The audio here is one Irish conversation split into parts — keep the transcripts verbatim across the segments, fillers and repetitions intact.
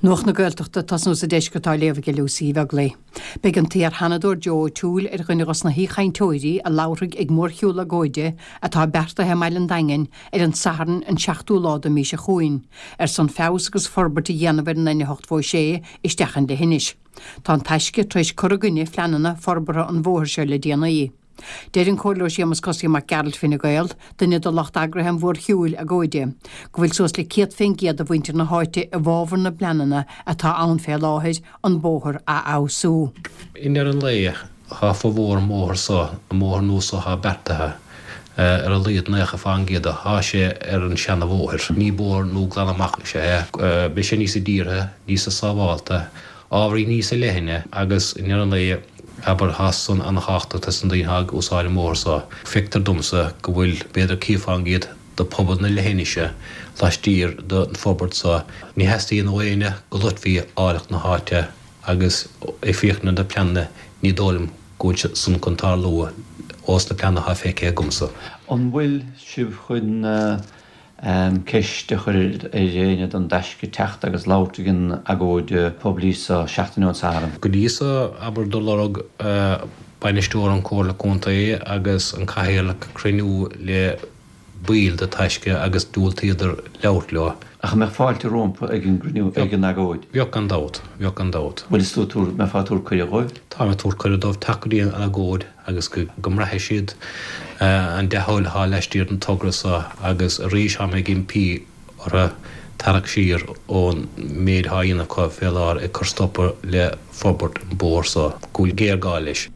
Nuacht na Gaeltachta tosnú sa deisceart á léamh ag Lucy Uí Bheaglaoich. Beidh an t-iar-Sheanadóir Joe O'Toole ar dhuine dos na haoichainteoirí a labharfaidh ag mórshiúl agóide atá beartaithe i mBaile an Daingin ar an Satharn an seachtú lá den mhí seo chugainn, ar son feabhas agus forbairt a dhéanamh ar an N a hocht sé isteach an leithinis. Tá an Taisce tar éis cur i gcoinne phleananna forbartha an bhóthair seo le déanaí. Deir an Comhairleoir Séamus Cosaí Mac Gearailt Fine Gael, duine de lucht eagraithe an mhórshiúil agóide, go bhfuil suas le céad fén gcéad de mhuintir na háite i bhfabhar na bpleananna atá ann fé láthair an bóthar a fheabhsú. I ndeireadh an lae tá formhór an bhóthar seo an bóthar nua seo atá beartaithe ar a laghad nócha fán gcéad tá sé ar an seana-bhóthar. Ní bóthar nua glan amach is é beidh sé níos dírithe, níos sábháilte, ábhairín níos leithne agus i ndeireadh an lae abair tá san an-tábhachtach dos na daoine ag úsáid an bhóthar seo. Feictear domsa go bhfuil b'fhéidir céad fán gcéad de pobal na leithinise laistiar den forbairt seo. Ní theastaíonn ó éinne go loitfí áilleacht na háite agus ag féachaint ar na pleananna ní dóigh liom go bhfuil san chun tarlú ós na pleananna atá feicthe agamsa. An bhfuil sibh chun ceist a chur ar éinne don dTaisce teacht agus labhairt ag an agóid poiblí sa seachtain ón Satharn. Go dtí seo abair do lorg bainisteoir an Comhairle Contae agus an cathaoirleach cruinniú le baill de Taisce agus diúltaíodar labhairt leo. Ach mbeadh fáilte rompu ag an gcruinniú ag an agóid. Bheadh gan dabht, bheadh gan dabht. Bhfuil is tú mbeifeá ag tabhairt cuireadh dóibh? Tá mé ag tabhairt cuireadh dóibh teacht go dtí an agóid agus go go mbraithfidh siad an dea-thoil atá laistiar den togra seo agus arís tá mé ag impí orthu tarraingt siar ón méid atá á dhéanamh acu fé láthair ag cur stopadh le forbairt an bóthar seo go bhfuil géarghá leis.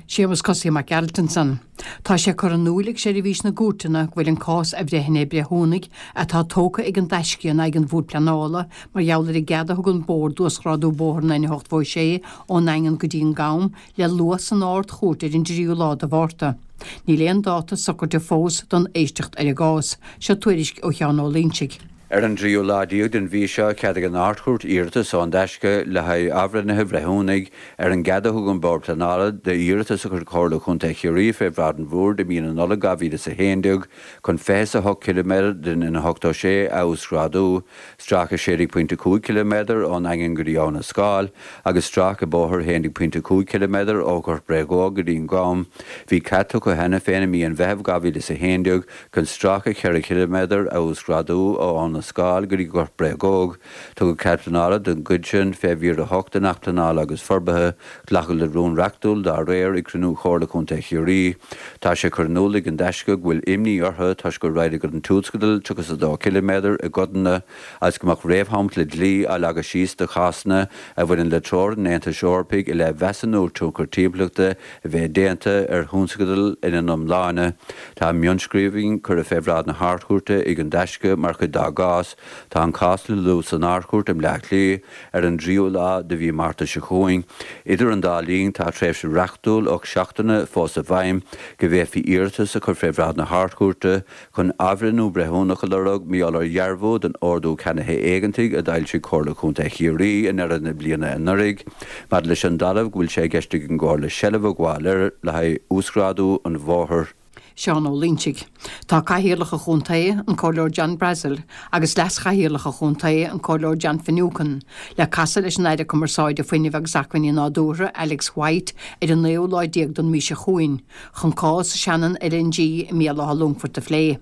Séamus Cosaí Mac Gearailt ansan. Tá sé curtha in iúl ag seirbhís na gcúirteanna go bhfuil an cás athbhreithnithe breithiúnaigh atá tógtha ag an dTaisce in aghaidh an Bhoird Pleanála mar gheall ar an gcead a thug an Bord d'uasghrádú bóthar an N a hocht sé ón nDaingean go dtí an Gam le lua san Ard-Chúirt ar an dtríú lá de Mhárta. Níl aon dáta socraithe fós don éisteacht ar an gcás, seo tuairisc ó Sheán Ó Loingsigh. Ar an dtríú lá déag den mhí seo cheadaigh an Ard-Chúirt iarratas ón dTaisce le haghaidh athbhreithnithe bhreithiúnaigh ar an gcead a thug an Bord Pleanála d'iarratas a chuir Comhairle Chontae Chiarraí fé bhráid an Bhoird i mí na Nollag dhá mhíle is a haon déag chun fiche a hocht ciliméadar den N ochtó sé a uasghrádú, stráice sé déag pointe cúig ciliméadar ón nDaingean go dtí Abhainn an Scáil agus stráice bóthair haon déag pointe cúig ciliméadar ó Ghort Bréagóg go dtí an Gam. Bhí cead tugtha cheana féin i mí an Mheithimh dhá mhíle is a haon déag chun stráice ceithre chiliméadar a uasghrádú ó Abhainn an Scáil go dtí Gort Bréagóg. Tugadh cead pleanála don gcuid sin fé mhír a hocht den Acht Pleanála agus Forbartha, glacadh le rún reachtúil dá réir ag cruinniú Chomhairle Contae Chiarraí. Tá sé curtha in iúl ag an dTaisce go bhfuil imní orthu toisc gur roinneadh an tionscadal tríocha is a dó ciliméadar i gcodanna agus go mbeadh réamhshampla dlí á leagadh síos do chásanna a bhaineann le treoir an Aontais Eorpaigh i leith mheasúnú tionchar timpeallachta a bheith déanta ar thionscadail ina n-iomláine. Tá mionnscríbhinn curtha fé bhráid na hArdchúirte ag an dTaisce mar chuid dá gcás. Tá an cás le lua san Ardchúirt i mBleá Cliath ar an dtríú lá de mhí Márta seo chugainn. Idir an dá linn tá tréimhse reachtúil ocht seachtaine fós i bhfeidhm go bhféadfaí iarratas a chur fé bhráid na hArdchúirte chun athbhreithniú breithiúnach a lorg mar gheall ar dhearbhú den ordú ceannaithe éigeantaigh a d'fhoilsigh Comhairle Chontae Chiarraí i ndeireadh na bliana anuraidh, maidir leis an dtalamh go bhfuil sé i gceist ag an gComhairle seilbh a ghabháil air le haghaidh uasghrádú an bhóthair. Seán Ó Loingsigh. Tá Cathaoirleach an Chontae, an Comhairleoir John Brassil, agus Leas-Chathaoirleach an Chontae, an Comhairleoir John Finucane, le casadh leis an Aire Cumarsáide Fuinnimh agus Acmhainní Nádúrtha, Alex White, ar an naoú lá déag den mhí seo chugainn, chun cás Shannon LNG i mBéal Átha Longfoirt a phlé.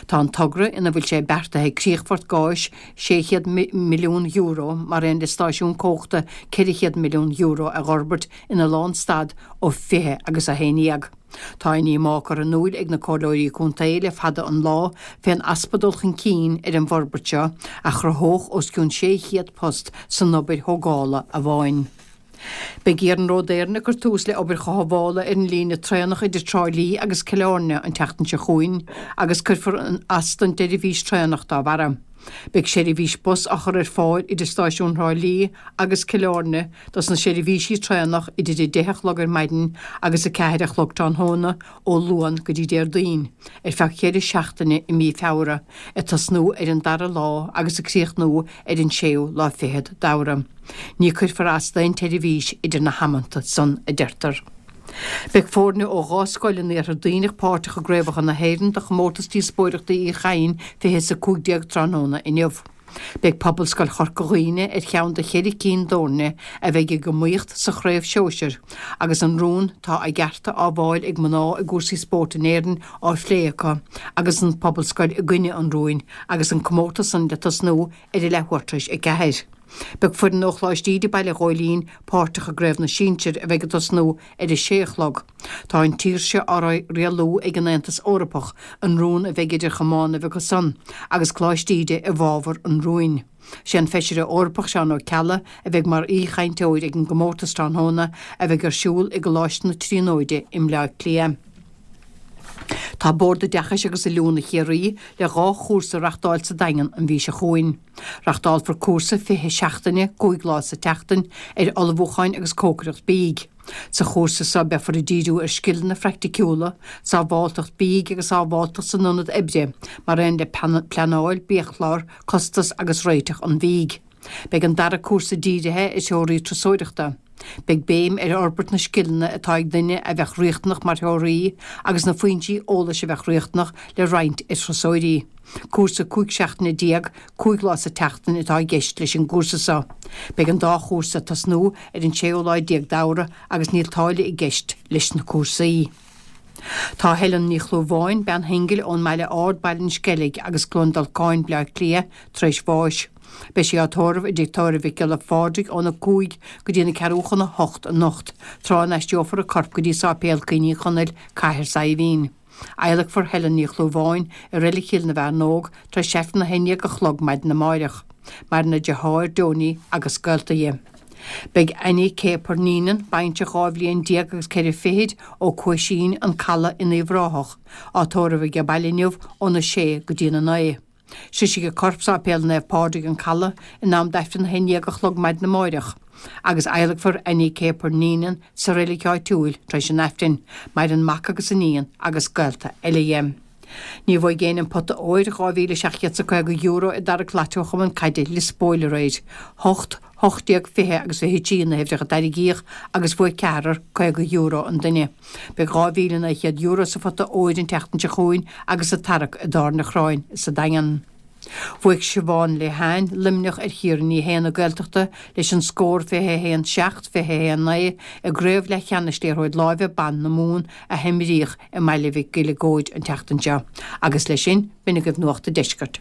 Tá an togra ina bhfuil sé beartaithe críochfort gáis sé chéad milliún euro mar aon le stáisiún cumhachta ceithre chéad milliún euro a fhorbairt ina lánstad ó fiche agus a haon déag. Tá inní á cur in iúl ag na comhairleoirí contae le fada an lá fén easpa dul chun cinn ar an bhforbairt seo a chruthódh os cionn sé chéad post san obair thógála amháin. Beidh Iarnród Éireann ag cur tús le obair chothabhála ar an líne traenach idir Trá Lí agus Cill Airne an tseachtain seo chugainn agus cuirfear as don tseirbhís traenach dá bharra. Beidh seirbhís bus á chur ar fáil idir stáisiún Thrá Lí agus Cill Airne dos na seirbhísí traenach idir a deich a chlog ar maidin agus a ceathair a chlog tráthnóna ó Luan go dtí Déardaoin ar feadh ceithre seachtaine i mí Feabhra, ag tosnú ar an dara lá agus ag críochnú ar an séú lá fichead d'Fheabhra. Ní cuirfear as d'aon tseirbhís idir na hamanta san, a deirtear. Beidh foirne ó dhá scoil in Iarthar Duibhneach páirteach i gcraobhacha na hÉireann do chomórtas díospóireachta Uí Chadhain fiche is a cúig déag tráthnóna inniu. Beidh Pobalscoil Chorca Dhuibhne ar cheann de cheithre cinn d'fhoirne a bheidh ag iomaíocht sa chraobh shóisir agus an rún 'Tá a gcearta á bhfáil ag mná i gcúrsaí spóirt in Éirinn' á phlé acu agus an Phobalscoil i gcoinne an rúin agus an comórtas san le tosnú ar a leathuair tar éis a ceathair. Beidh foireann ó Choláiste Íde Baile Ghóilín páirteach i gCraobh na Sinsear a bheidh ag tosnú ar a sé a chlog. Tá an tír seo á rialú ag an Aontas Eorpach, an rún a bheidh idir chamánaibh acu san, agus Coláiste Íde i bhfabhar an rúin. Sé an Feisire Eorpach Seán Ó Ceallaigh a bheidh mar aoi-chainteoir ag an gcomórtas tráthnóna a bheidh ar siúl i gColáiste na Tríonóide i mBleá Cliath. Tá Bord Oideachais agus Oiliúna Chiarraí le dhá chúrsa a reachtáil sa Daingean an mhí seo chugainn. Reachtálfar cúrsa fiche seachtaine, cúig lá sa tseachtain, ar ullmhúcháin agus cócaireacht bídh. Sa chúrsa seo beifear ag díriú ar scileanna phraiticiúla, sábháilteacht bídh agus sábháilteacht san ionad oibre, mar aon le pleanáil, biachlár, costas agus réiteach an bhídh. Beidh an dara cúrsa dírithe ar threoraí turasóireachta. Beidh béim ar fhorbairt na scileanna atá ag duine a bheadh riachtanach mar threoraí agus na foinsí eolais a bheadh riachtanach le roinnt ar thurasóirí. Cúrsa cúig seachtaine déag, cúig lá sa tseachtain atá i gceist leis an gcúrsa seo. Beidh an dá chúrsa ag tosnú ar an séú lá déag d'Fheabhra agus níl táille i gceist leis na cúrsaí. Tá Helen Ní Chlúmháin, bean shingil ón mBaile Ard, Baile an Sceilg agus Cluain Dolcáin, Bleá Cliath, tar éis bháis. Beidh sí á tórramh i dTigh Tórraimh Mhic Giolla Phádraig óna cúig go dtí na ceathrú chun a hocht anocht, tráth a n-aistreofar a corp go dtí Sáipéal Caoin Uí Chonaill, Cathair Saidhbhín. Adhlacfar Helen Ní Chlúmháin i Reilig Chill na bhFearnóg tar éis Aifreann a haon déag a chlog maidin amáireach. Maireann a deartháir, Donie, agus gaolta dhi. Beidh Annie Céapair Neenan, baintreach dhá bhliain déag agus ceithre fichid, ó Cuaisín, An Caladh in Uíbh Ráthach, á tórramh age baile inniu óna sé go dtína naoi. Sroisfidh a corp Sáipéal Naomh Pádraig, An Caladh, in am d'Aifreann a haon déag a chlog maidin amáireach, agus adhlacfar Annie Céapair Neenan sa reilig áitiúil tar éis an Aifrinn. Maireann mac agus iníon agus gaolta eile dhi. Ní bhuaigh éinne an pota óir, dhá mhíle seacht gcéad 's a caoga euro, i dtarrac Lotto Chumann Caide Lios Póil aréir. Hocht, hocht déag, fiche agus fiche trí na huimhreacha a tarraingíodh agus bhuaigh ceathrar caoga euro an duine. Beidh dhá mhíle naoi chéad euro sa phota óir an tseachtain seo chugainn agus sa tarrac i dTábhairne an Chorráin sa Daingean. Bhuaigh Siobhán Lehane, Luimneach, ar Chiara Ní Shéaghdha na Gaeltachta leis an scór fiche a haon seacht, fiche a haon naoi i gcraobh leathcheannais liathróid láimhe ban na Mumhan a himríodh i mBaile Mhic Giolla Góid an tseachtain seo. Agus leis sin, b'in agaibh Nuacht an Deiscirt.